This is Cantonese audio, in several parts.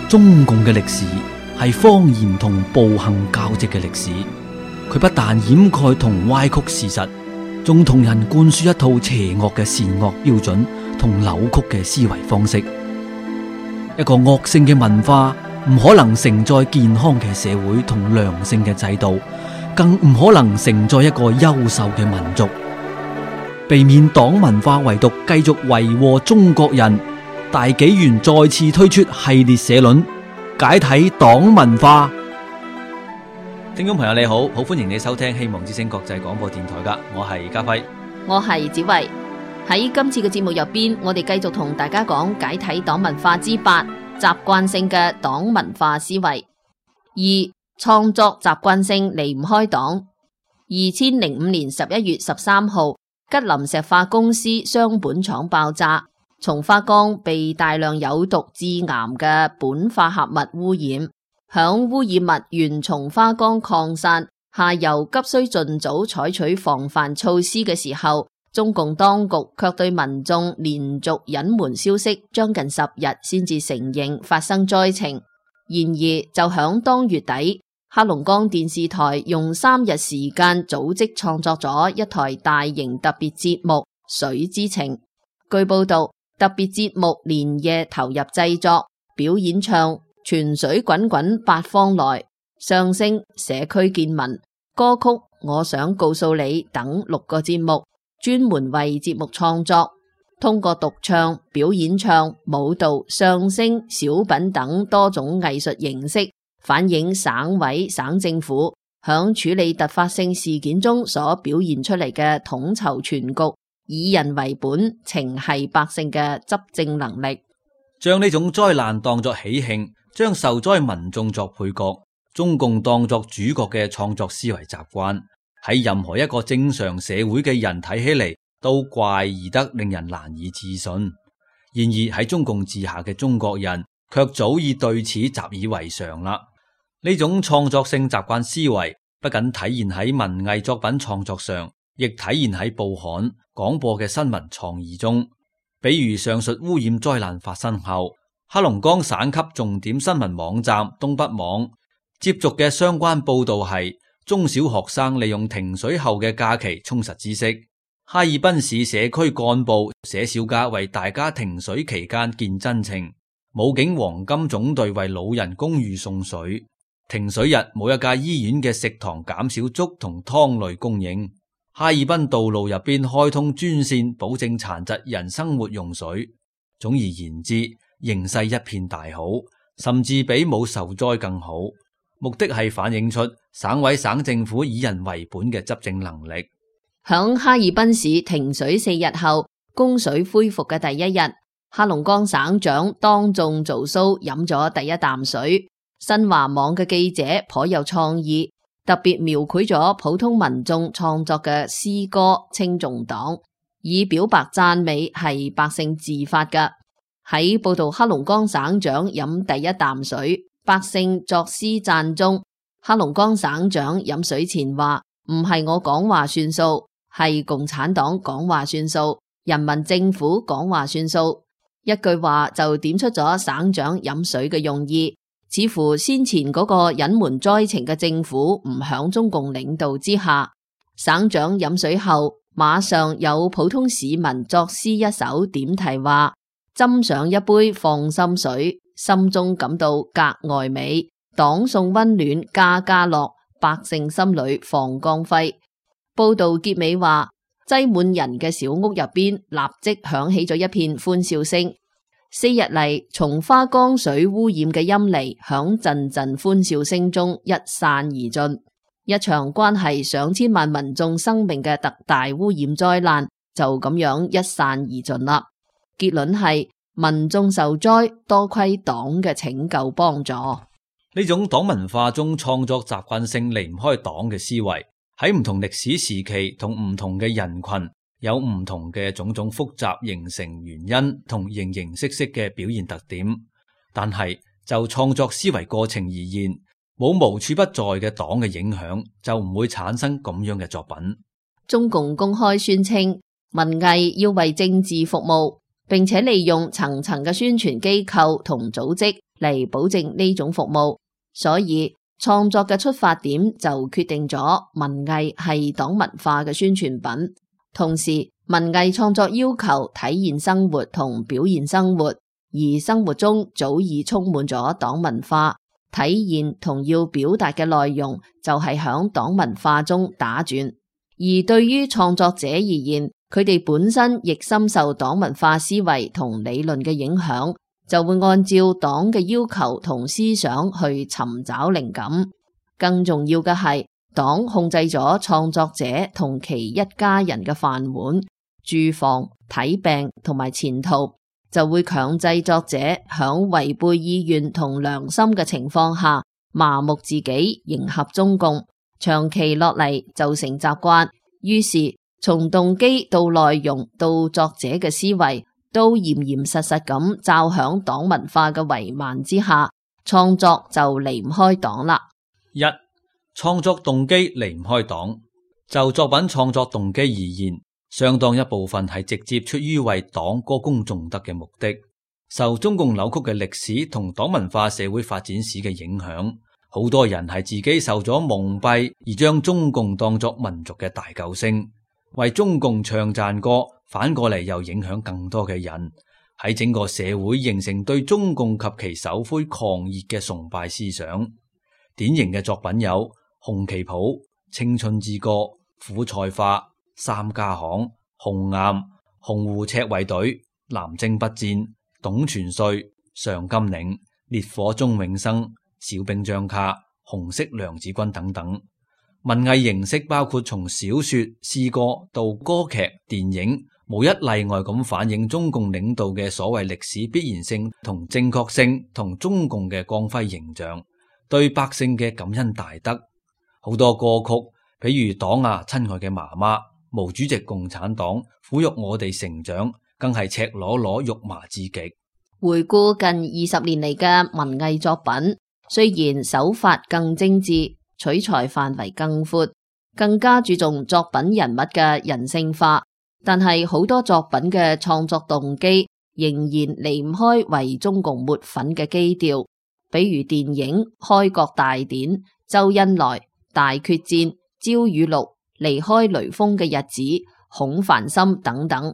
中共嘅歷史係謊言同暴行交織嘅歷史，佢不但掩蓋同歪曲事實，仲同人灌輸一套邪惡嘅善惡標準同扭曲嘅思維方式。一個惡性嘅文化唔可能承載健康嘅社會同良性嘅制度，更唔可能承載一個優秀嘅民族。避免黨文化遺毒繼續為禍中國人，大紀元再次推出系列社論，解體黨文化。聽眾朋友你好，好歡迎你收聽希望之聲國際廣播電台噶，我係家輝，我係子慧。喺今次嘅節目入邊，我哋繼續同大家講解體黨文化之8，習慣性嘅黨文化思維。2、創作習慣性離唔開黨。2005年11月13號，吉林石化公司雙苯廠爆炸，松花江被大量有毒致癌嘅苯化合物污染。響污染物沿松花江擴散，下游急需盡早採取防範措施嘅時候，中共當局卻對民眾連續隱瞞消息，將近10日先至承認發生災情。然而就響當月底，黑龍江電視台用3日時間組織創作咗一台大型特別節目《水之情》。據報道，特別節目連夜投入製作，表演唱泉水滾滾八方來、相聲、社區見聞、歌曲我想告訴你等6個節目，專門為節目創作，通過獨唱、表演唱、舞蹈、相聲、小品等多種藝術形式，反映省委省政府響處理突發性事件中所表現出嚟嘅統籌全局、以人為本、情繫百姓嘅執政能力。將呢種災難當作喜慶，將受災民眾作配角，中共當作主角嘅創作思維習慣，喺任何一個正常社會嘅人睇起嚟都怪異得令人難以置信。然而喺中共治下嘅中國人卻早已對此習以為常啦。呢種創作性習慣思維不僅體現喺文藝作品創作上，亦體現喺報刊、廣播嘅新聞創意中。比如上述污染災難發生後，黑龍江省級重點新聞網站東北網接續嘅相關報道係中小學生利用停水後嘅假期充實知識。哈爾濱市社區幹部寫小家為大家停水期間見真情。武警黃金總隊為老人公寓送水。停水日冇一家醫院嘅食堂減少粥同湯類供應。哈爾濱道路入邊開通專線，保證殘疾人生活用水。總而言之，形勢一片大好，甚至比冇受災更好。目的係反映出省委省政府以人為本嘅執政能力。響哈爾濱市停水4日後，供水恢復嘅第一日，黑龍江省長當眾做 show 飲咗第一啖水。新華網嘅記者頗有創意，特別描繪咗普通民眾創作嘅詩歌稱頌黨，以表白讚美係百姓自發嘅。喺報道黑龍江省長飲第一啖水，百姓作詩讚中。黑龍江省長飲水前話：唔係我講話算數，係共產黨講話算數，人民政府講話算數。一句話就點出咗省長飲水嘅用意。似乎先前嗰個隱瞞災情嘅政府唔響中共領導之下。省長飲水後，馬上有普通市民作詩一首，點題話：斟上一杯放心水，心中感到格外美。黨送溫暖家家樂，百姓心裏放光輝。報道結尾話：擠滿人嘅小屋入邊，立即響起咗一片歡笑聲。4日嚟，松花江水污染嘅陰霾響陣陣歡笑聲中一散而盡，一場關係上千萬民眾生命嘅特大污染災難就咁樣一散而盡啦。結論係民眾受災，多虧黨嘅拯救幫助。呢種黨文化中創作習慣性離唔開黨嘅思維，喺唔同歷史時期同唔同嘅人群，有唔同嘅種種複雜形成原因同形形色色嘅表現特點，但係就創作思維過程而言，冇無處不在嘅黨嘅影響，就唔會產生咁樣嘅作品。中共公開宣稱，文藝要為政治服務，並且利用層層嘅宣傳機構同組織，嚟保證呢種服務，所以創作嘅出發點就決定咗文藝係黨文化嘅宣傳品。同時，文藝創作要求體現生活同表現生活，而生活中早已充滿咗黨文化，體現同要表達嘅內容就係響黨文化中打轉。而對於創作者而言，佢哋本身亦深受黨文化思維同理論嘅影響，就會按照黨嘅要求同思想去尋找靈感。更重要嘅係，黨控制咗創作者同其一家人嘅飯碗、住房、睇病同埋前途，就會強制作者響違背意願同良心嘅情況下麻木自己，迎合中共，長期落嚟就成習慣。於是從動機到內容到作者嘅思維，都嚴嚴實實咁罩響黨文化嘅帷幔之下，創作就離唔開黨啦。一、創作動機離唔開黨。就作品創作動機而言，相當一部分係直接出於為黨歌功頌德嘅目的。受中共扭曲嘅歷史同黨文化社會發展史嘅影響，好多人係自己受咗蒙蔽，而將中共當作民族嘅大救星，為中共唱讚歌，反過嚟又影響更多嘅人，喺整個社會形成對中共及其首魁狂熱嘅崇拜思想。典型嘅作品有《紅旗袍》、《青春之歌》、《苦菜花》、《三家巷》、《紅岩》、《紅湖赤衛隊》、《南征北戰》、《董存瑞》、《上甘嶺》、《烈火中永生》、《小兵張卡》、《紅色娘子軍》等等。文藝形式包括從小說、詩歌到歌劇、電影，無一例外咁反映中共領導嘅所謂歷史必然性同正確性同中共嘅光輝形象，對百姓嘅感恩大德。好多歌曲，比如《黨啊，親愛嘅媽媽》、毛主席共產黨撫育我哋成長，更係赤裸裸肉麻至極。回顧近20年嚟嘅文藝作品，雖然手法更精緻，取材範圍更闊，更加注重作品人物嘅人性化，但係好多作品嘅創作動機仍然離唔開為中共抹粉嘅基調，比如電影《開國大典》、周恩來、大決戰、焦裕祿、離開雷鋒嘅日子、孔繁森等等。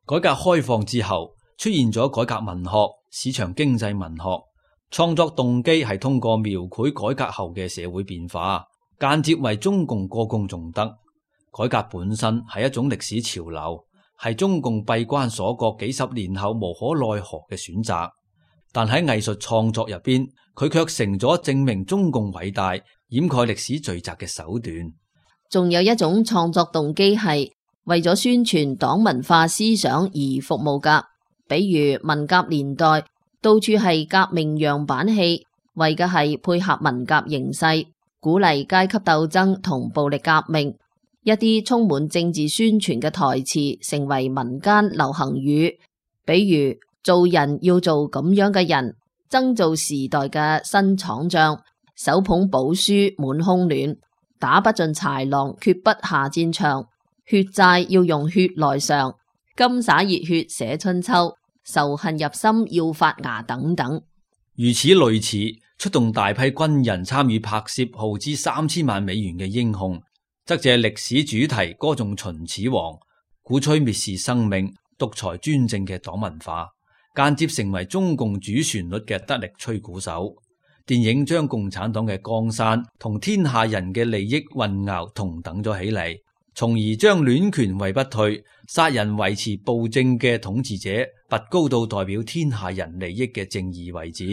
改革開放之後，出現咗改革文學、市場經濟文學，創作動機係通過描繪改革後嘅社會變化，間接為中共歌功頌德。改革本身係一種歷史潮流，係中共閉關鎖國幾十年後無可奈何嘅選擇。但喺藝術創作入邊，佢卻成咗證明中共偉大、掩蓋歷史罪責嘅手段。仲有一種創作動機係為咗宣傳黨文化思想而服務噶，比如文革年代到處係革命樣板戲，為嘅係配合文革形勢，鼓勵階級鬥爭同暴力革命。一啲充滿政治宣傳嘅台詞成為民間流行語，比如做人要做咁樣嘅人，爭做時代嘅新廠匠，手捧寶書滿胸暖，打不盡豺狼決不下戰場，血債要用血來償，金灑熱血寫春秋，仇恨入心要發芽等等。如此類似，出動大批軍人參與拍攝耗資3000萬美元嘅英雄，則借歷史主題歌頌秦始皇，鼓吹蔑視生命、獨裁專政嘅黨文化，間接成為中共主旋律嘅得力吹鼓手。電影將共產黨嘅江山同天下人嘅利益混淆同等咗起嚟，從而將戀權位不退、殺人維持暴政嘅統治者拔高到代表天下人利益嘅正義位置，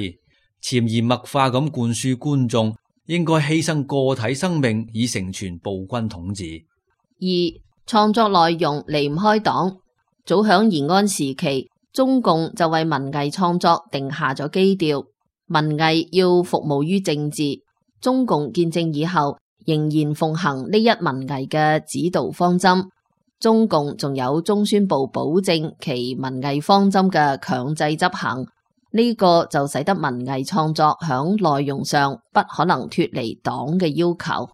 潛移默化咁灌輸觀眾應該犧牲個體生命以成全暴君統治。二、創作內容離唔開黨。早響延安時期，中共就為文藝創作定下咗基調，文藝要服務於政治。中共建政以後，仍然奉行呢一文藝嘅指導方針。中共仲有中宣部保證其文藝方針嘅強制執行，呢個就使得文藝創作響內容上不可能脫離黨嘅要求。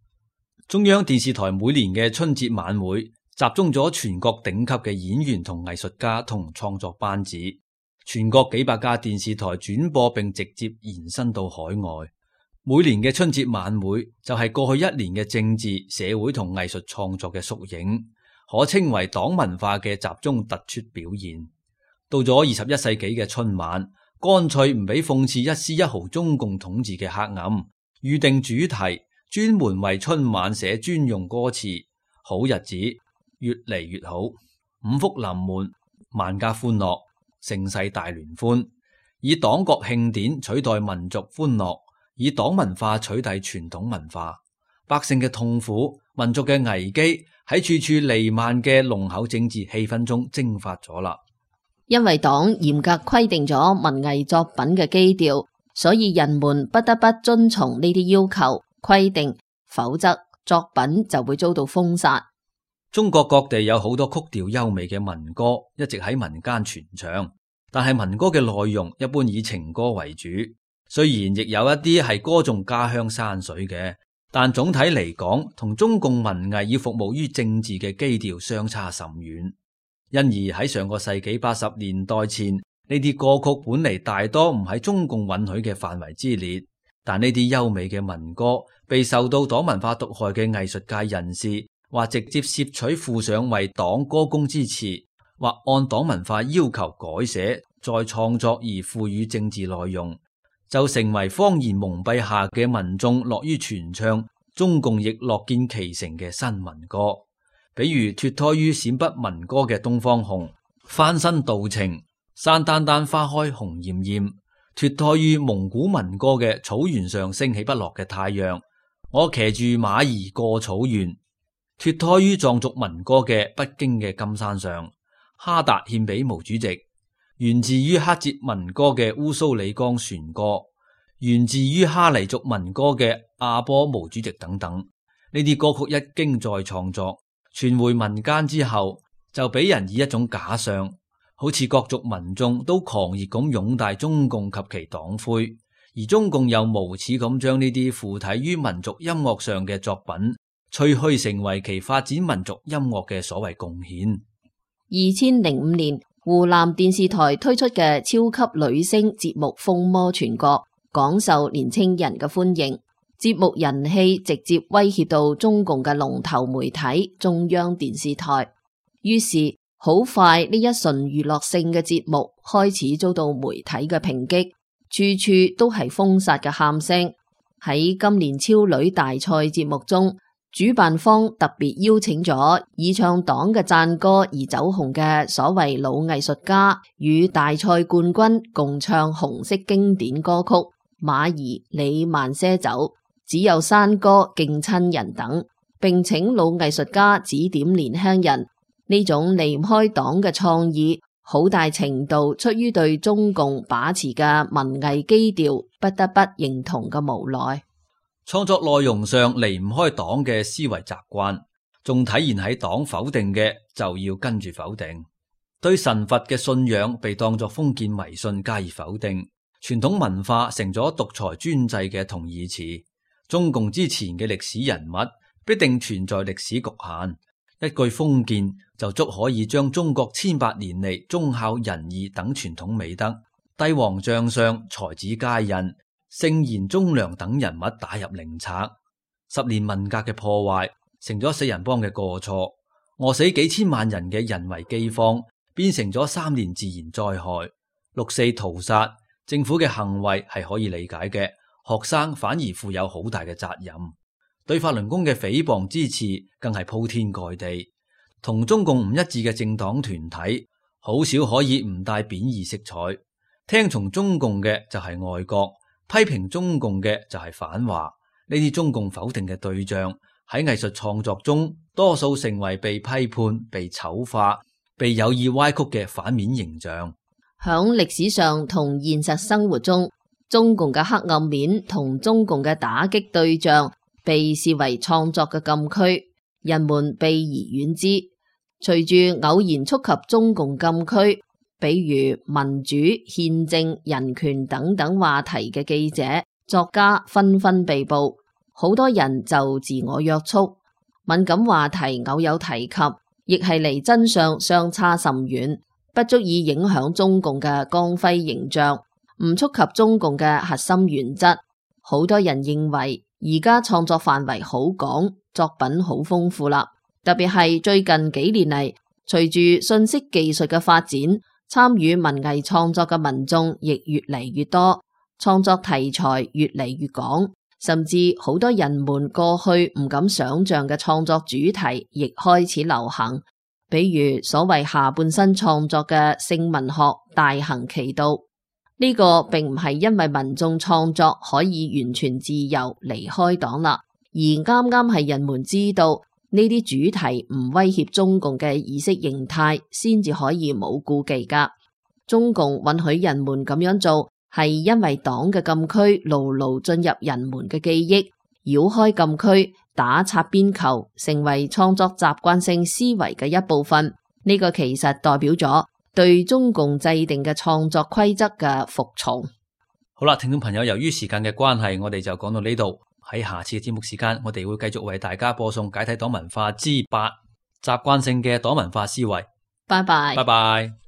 中央電視台每年嘅春節晚會集中咗全國頂級嘅演員同藝術家同創作班子，全國幾百家電視台轉播並直接延伸到海外。每年嘅春節晚會就係過去一年嘅政治、社會同藝術創作嘅縮影，可稱為黨文化嘅集中突出表現。到咗21世紀嘅春晚，乾脆唔俾諷刺一絲一毫中共統治嘅黑暗，預定主題，專門為春晚寫專用歌詞，好日子越嚟越好，五福臨門，萬家歡樂，盛世大聯歡，以黨國慶典取代民族歡樂，以黨文化取代傳統文化，百姓嘅痛苦、民族嘅危機喺處處彌漫嘅濃厚政治氣氛中蒸發咗啦。因為黨嚴格規定咗文藝作品嘅基調，所以人們不得不遵從呢啲要求規定，否則作品就會遭到封殺。中國各地有好多曲調優美嘅民歌一直喺民間傳唱，但係民歌嘅內容一般以情歌為主。雖然亦有一啲係歌頌家鄉山水嘅，但總體嚟講，同中共文藝要服務於政治嘅基調相差甚遠。因而喺上個世紀80年代前，呢啲歌曲本嚟大多唔喺中共允許嘅範圍之列，但呢啲優美嘅民歌被受到黨文化毒害嘅藝術界人士，或直接攝取附上為黨歌功之詞，或按黨文化要求改寫再創作而賦予政治內容，就成為謊言蒙蔽下嘅民眾樂於傳唱，中共亦樂見其成嘅新民歌。比如脫胎於陝北民歌嘅東方紅，翻身道情，山丹丹花開紅艷艷；脫胎於蒙古民歌嘅草原上升起不落嘅太陽，我騎住馬兒過草原；脫胎於藏族民歌嘅北京嘅金山上，哈達獻俾毛主席。源自於克孜民歌嘅烏蘇里江船歌，源自於哈尼族民歌嘅阿波毛主席等等，呢啲歌曲一經再創作，傳回民間之後，就俾人以一種假象，好似各族民眾都狂熱咁擁戴中共及其黨徽，而中共又無恥咁將呢啲附體於民族音樂上嘅作品，吹噓成為其發展民族音樂嘅所謂貢獻。2005年，湖南電視台推出嘅超級女聲節目風靡全國，廣受年輕人嘅歡迎。節目人氣直接威脅到中共嘅龍頭媒體中央電視台，於是好快呢一純娛樂性嘅節目開始遭到媒體嘅抨擊，處處都係封殺嘅喊聲。喺今年超女大賽節目中，主辦方特別邀請咗以唱黨嘅讚歌而走紅嘅所謂老藝術家，與大賽冠軍共唱紅色經典歌曲《馬兒你慢些走》、只有山歌敬親人等，並請老藝術家指點年輕人。呢種離唔開黨嘅創意，好大程度出於對中共把持嘅文藝基調不得不認同嘅無奈。創作內容上離唔開黨嘅思維習慣，仲體現喺黨否定嘅就要跟住否定，對神佛嘅信仰被當作封建迷信加以否定，傳統文化成咗獨裁專制嘅同義詞。中共之前嘅歷史人物必定存在歷史局限，一句封建就足可以將中國千百年嚟忠孝仁義等傳統美德、帝王將相、才子佳人、聖賢忠良等人物打入靈冊。10年文革嘅破壞成咗四人幫嘅過錯，餓死幾千萬人嘅人為饑荒變成咗3年自然災害。6.4屠殺，政府嘅行為係可以理解嘅，學生反而負有好大嘅責任。對法輪功嘅誹謗之詞更係鋪天蓋地。同中共唔一致嘅政黨團體好少可以唔帶貶義色彩，聽從中共嘅就係愛國，批評中共嘅就係反華。呢啲中共否定嘅對象喺藝術創作中多數成為被批判、被醜化、被有意歪曲嘅反面形象。響歷史上同現實生活中，中共嘅黑暗面同中共嘅打擊對象被視為創作嘅禁區，人們避而遠之。隨住偶然觸及中共禁區，比如民主、憲政、人權等等話題嘅記者、作家紛紛被捕，好多人就自我約束。敏感話題偶有提及，亦係離真相相差甚遠。不足以影響中共嘅光輝形象，唔觸及中共嘅核心原則。好多人認為而家創作範圍好廣，作品好豐富啦。特別係最近幾年嚟，隨住信息技術嘅發展，參與文藝創作嘅民眾亦越嚟越多，創作題材越嚟越廣，甚至好多人們過去唔敢想象嘅創作主題亦開始流行。比如所謂下半身創作嘅性文學大行其道，呢個並唔係因為民眾創作可以完全自由離開黨啦，而啱啱係人們知道呢啲主題唔威脅中共嘅意識形態，先至可以冇顧忌噶。中共允許人們咁樣做，係因為黨嘅禁區牢牢進入人們嘅記憶，繞開禁區，打擦邊球，成為創作習慣性思維嘅一部分。呢個其實代表咗對中共制定嘅創作規則嘅服從。好啦，聽眾朋友，由於時間嘅關係，我哋就講到呢度。喺下次嘅節目時間，我哋會繼續為大家播送解體黨文化之8，習慣性嘅黨文化思維。拜拜。拜拜。